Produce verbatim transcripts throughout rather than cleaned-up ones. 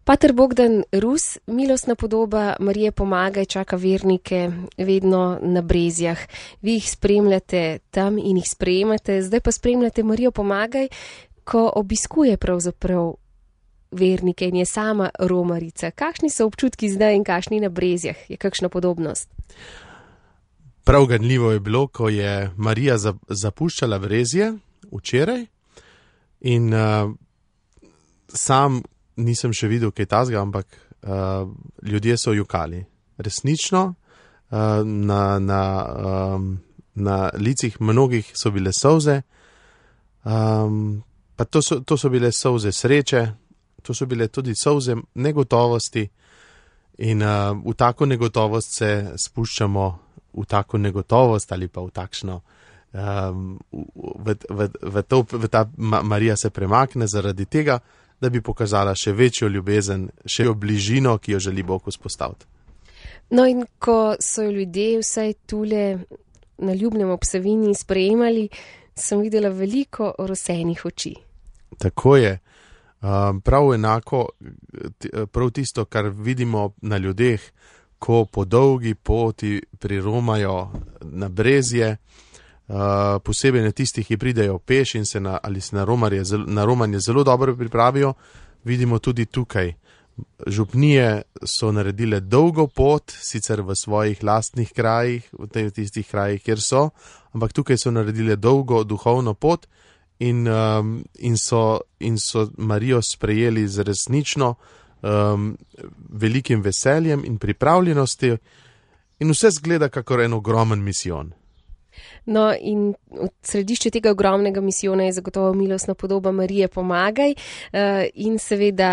Pater Bogdan Rus, milostna podoba Marije Pomagaj čaka vernike vedno na Brezjah. Vi jih spremljate tam in jih sprejemate, zdaj pa spremljate Marijo Pomagaj, ko obiskuje pravzaprav vernike in je sama romarica. Kakšni so občutki zdaj in kakšni na Brezjah? Je kakšna podobnost? Prav ganljivo je bilo, ko je Marija zapuščala Brezje včeraj in uh, sam nisem še videl kaj tazga, ampak uh, ljudje so jokali. Resnično, uh, na, na, um, na licih mnogih so bile solze, um, pa to so, to so bile solze sreče, to so bile tudi solze negotovosti in uh, v tako negotovost se spuščamo, v tako negotovost ali pa v takšno, um, v, v, v, to, v ta Marija se premakne zaradi tega, da bi pokazala še večjo ljubezen, še bližino, ki jo želi Bog vzpostaviti. No in ko so ljudje vsaj tule na Ljubnem ob Savinji sprejemali, sem videla veliko rosenih oči. Tako je. Prav enako, prav tisto, kar vidimo na ljudeh, ko po dolgi poti priromajo na Brezje, Uh, posebej na tistih, ki pridejo peš in se na, ali se na, romarje, na romanje zelo dobro pripravijo, vidimo tudi tukaj. Župnije so naredile dolgo pot, sicer v svojih lastnih krajih, v tistih krajih, kjer so, ampak tukaj so naredile dolgo duhovno pot in, um, in, so, in so Marijo sprejeli z resnično um, velikim veseljem in pripravljenosti in vse zgleda kakor en ogromen misijon. No in v središču tega ogromnega misijona je zagotovo milostna podoba Marije Pomagaj in seveda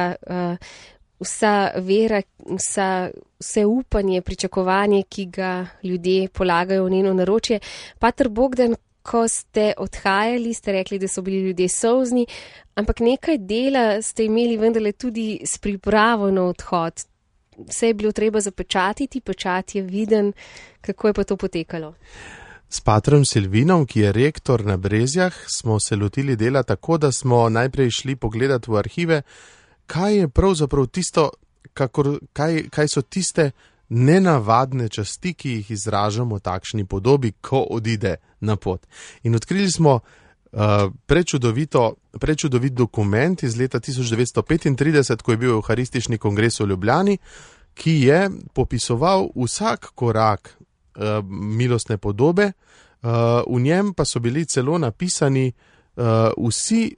vsa vera, vsa, vse upanje, pričakovanje, ki ga ljudje polagajo v njeno naročje. Pater Bogdan, ko ste odhajali, ste rekli, da so bili ljudje solzni, ampak nekaj dela ste imeli vendarle tudi s pripravo na odhod. Vse je bilo treba zapečatiti, pečat je viden. Kako je pa to potekalo? S patrom Silvinom, ki je rektor na Brezjah, smo se lotili dela tako, da smo najprej šli pogledati v arhive, kaj je pravzaprav tisto, kakor, kaj, kaj so tiste nenavadne časti, ki jih izražamo v takšni podobi, ko odide na pot. In odkrili smo uh, prečudovito, prečudovit dokument iz leta tisoč devetsto petintrideset, ko je bil Evharistični kongres v Ljubljani, ki je popisoval vsak korak milostne podobe, v njem pa so bili celo napisani vsi,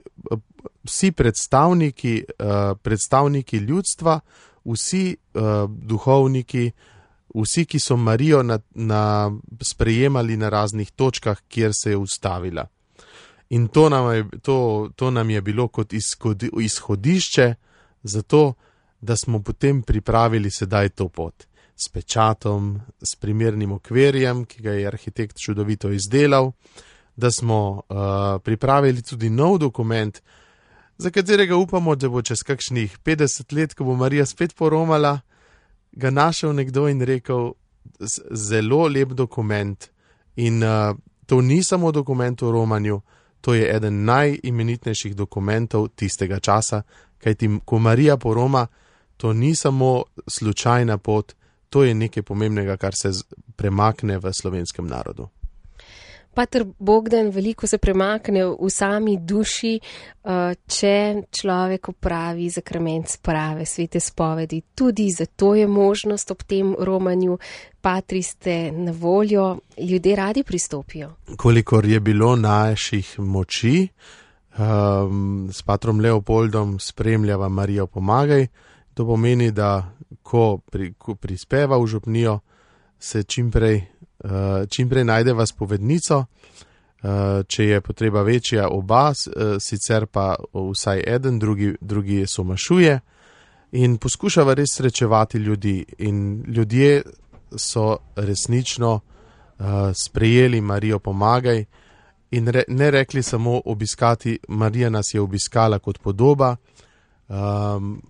vsi predstavniki, predstavniki ljudstva, vsi duhovniki, vsi, ki so Marijo na, na, sprejemali na raznih točkah, kjer se je ustavila. In to nam je, to, to nam je bilo kot izhodišče za to, da smo potem pripravili sedaj to pot. S pečatom, s primernim okvirjem, ki ga je arhitekt čudovito izdelal, da smo uh, pripravili tudi nov dokument, za katerega upamo, da bo čez kakšnih petdeset let, ko bo Marija spet poromala, ga našel nekdo in rekel, zelo lep dokument. In uh, to ni samo dokument o romanju, to je eden najimenitnejših dokumentov tistega časa, kajti ko Marija poroma, to ni samo slučajna pot, to je nekaj pomembnega, kar se premakne v slovenskem narodu. Pater Bogdan, veliko se premakne v sami duši, če človek opravi zakrament sprave, svete spovedi. Tudi zato je možnost ob tem romanju. Patri ste na voljo, ljudje radi pristopijo. Kolikor je bilo naših moči, um, s patrom Leopoldom spremljava Marijo Pomagaj. To pomeni, da ko, pri, ko prispeva v župnijo, se čimprej, uh, čimprej najdeva spovednico, uh, če je potreba večja oba, uh, sicer pa vsaj eden, drugi, drugi somašuje in poskušava res srečevati ljudi. In ljudje so resnično uh, sprejeli Marijo Pomagaj in re, ne rekli samo obiskati, Marija nas je obiskala kot podoba, um,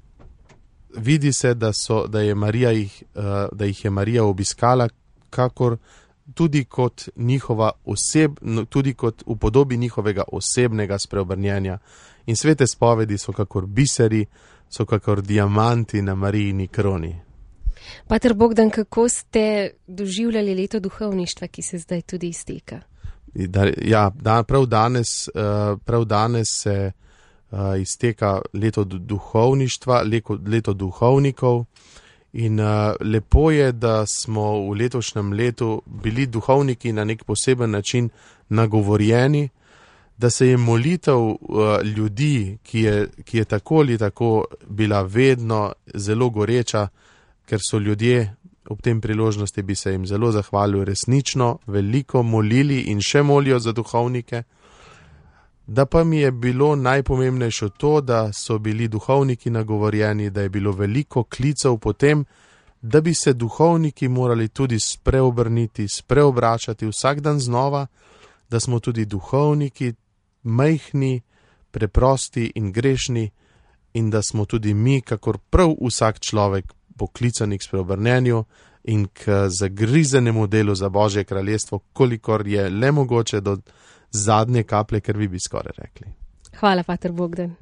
vidi se, da, so, da, je Marija jih, da jih je Marija obiskala, kakor tudi kot, njihova oseb, tudi kot v podobi njihovega osebnega spreobrnjenja. In svete spovedi so kakor biseri, so kakor diamanti na Marijini kroni. Pater Bogdan, kako ste doživljali leto duhovništva, ki se zdaj tudi izteka? Da, ja, da, prav, danes, prav danes se izteka leto duhovništva, leto, leto duhovnikov in lepo je, da smo v letošnjem letu bili duhovniki na nek poseben način nagovorjeni, da se je molitev ljudi, ki je, ki je tako ali tako bila vedno zelo goreča, ker so ljudje, ob tem priložnosti bi se jim zelo zahvalil, resnično veliko molili in še molijo za duhovnike. Da pa mi je bilo najpomembnejše to, da so bili duhovniki nagovorjeni, da je bilo veliko klicev po tem, da bi se duhovniki morali tudi spreobrniti, spreobračati vsak dan znova, da smo tudi duhovniki majhni, preprosti in grešni in da smo tudi mi, kakor prav vsak človek, poklicani k spreobrnenju in k zagrizenemu delu za Božje kraljestvo, kolikor je le mogoče do zadnje kaplje krvi, bi skoraj rekli. Hvala, pater Bogdan.